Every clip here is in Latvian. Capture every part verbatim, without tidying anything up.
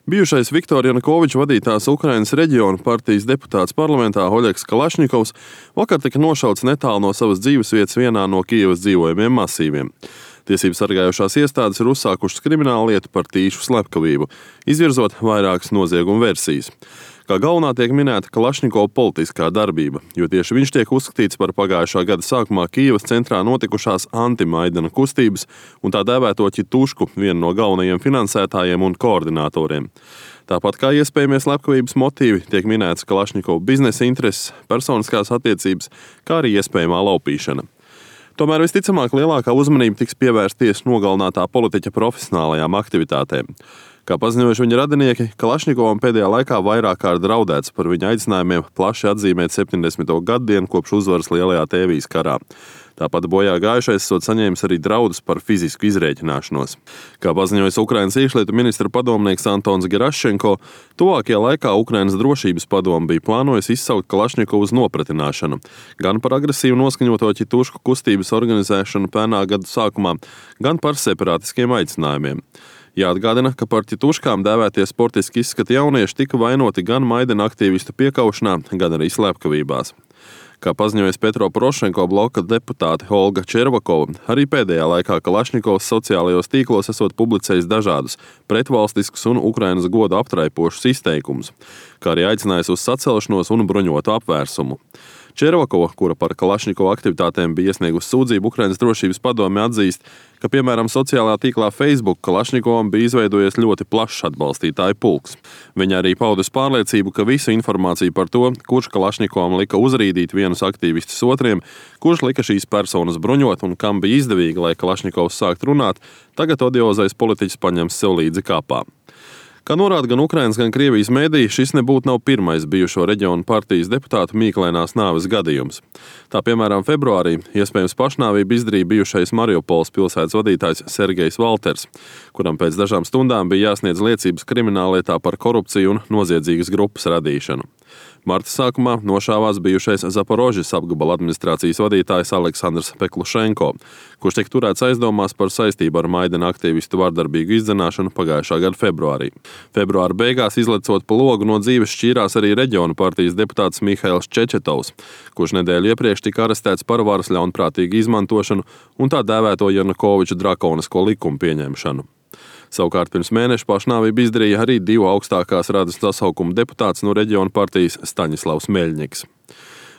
Bijušais Viktora Janukoviča vadītās Ukrainas reģiona partijas deputāts parlamentā Oļegs Kalašņikovs vakar tika nošauts netālu no savas dzīvesvietas vienā no Kijevas dzīvojamiem masīviem. Tiesību sargājošās iestādes ir uzsākušas kriminālu lietu par tīšu slepkavību, izvirzot vairākas noziegumu versijas. Kā galvenā tiek minēta Kalašņikova politiskā darbība, jo tieši viņš tiek uzskatīts par pagājušā gada sākumā Kijevas centrā notikušās anti-Maidana kustības un tā dēvēto Ķitušku, vienu no galvenajiem finansētājiem un koordinatoriem. Tāpat kā iespējamie slepkavības motīvi, tiek minēts Kalašņikova biznesa intereses, personiskās attiecības, kā arī iespējamā laupīšana. Tomēr visticamāk lielākā uzmanība tiks pievērsties nogalinātā politiķa profesionālajām aktivitātēm. Kā paziņojuši viņa radinieki, Kalašņikovam pēdējā laikā vairāk kārt draudēts par viņa aicinājumiem plaši atzīmēt septiņdesmito gaddienu kopš uzvaras Lielajā Tēvijas karā. Tāpat bojā gājušais esot saņēmis arī draudus par fizisku izrēķināšanos. Kā paziņojis Ukrainas iekšlietu ministra padomnieks Antons Geraščenko, tuvākajā laikā Ukrainas drošības padome bija plānojusi izsaukt Kalašņikovu uz nopratināšanu, gan par agresīvu noskaņoto Ķitušku kustības organizēšanu pērnā gada sākumā, gan par separātiskiem aicinājumiem. Jāatgādina, ka par Ķituškām dēvētie sportiski izskati jaunieši tika vainoti gan Maidana aktīvistu piekaušanā, gan arī slepkavībās. Kā paziņojas Petro Porošenko bloka deputāte Olga Červakova, arī pēdējā laikā Kalašņikovs sociālajos tīklos esot publicējis dažādus pretvalstiskus un Ukrainas godu aptraipošus izteikumus, kā arī aicinājis uz sacelšanos un bruņotu apvērsumu. Červakova, kura par Kalašņikova aktivitātēm bija iesniegusi sūdzību Ukrainas drošības padome, atzīst, ka, piemēram, sociālajā tīklā Facebook Kalašņikovam bija izveidojies ļoti plašs atbalstītāju pulks. Viņa arī paudus pārliecību, ka visu informāciju par to, kurš Kalašņikovam lika uzrīdīt vienus aktīvistus otriem, kurš lika šīs personas bruņot un kam bija izdevīgi, lai Kalašņikovs sākt runāt, tagad odiozais politiķis paņems sev līdzi kāpā. Kā norāda gan Ukrainas, gan Krievijas mediji, šis nebūtu nav pirmais bijušo reģionu partijas deputātu mīklainās nāves gadījums. Tā, piemēram, februārī iespējams pašnāvību izdarīja bijušais Mariupoles pilsētas vadītājs Sergejs Valters, kuram pēc dažām stundām bija jāsniedz liecības krimināllietā par korupciju un noziedzīgas grupas radīšanu. Marta sākumā nošāvās bijušais Zaporožas apgabala administrācijas vadītājs Aleksandrs Peklušenko, kurš tiek turēts aizdomās par saistību ar Maidana aktīvistu vardarbīgu izdzenāšanu pagājušā gada februārī. Februāra beigās izlecot pa logu no dzīves šķīrās arī reģionu partijas deputāts Mihails Čečetovs, kurš nedēļu iepriekš tika arestēts par varas ļaunprātīgu izmantošanu un tā dēvēto Janukoviča drakonisko likumu pieņemšanu. Savukārt pirms mēneša pašnāvību izdarīja arī divu augstākās radas sasaukuma deputāts no reģiona partijas Staņislavs Meļņiks.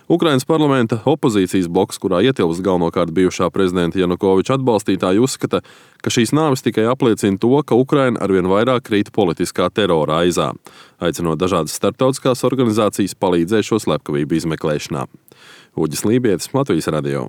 Ukrainas parlamenta opozīcijas bloks, kurā ietilpst galvenokārt bijušā prezidenta Janukoviča atbalstītāji, uzskata, ka šīs nāves tikai apliecina to, ka Ukraina arvien vairāk krīt politiskā terora aizā, aicinot dažādas starptautiskās organizācijas palīdzēt šo slepkavību izmeklēšanā. Uģis Lībietis, Latvijas radio.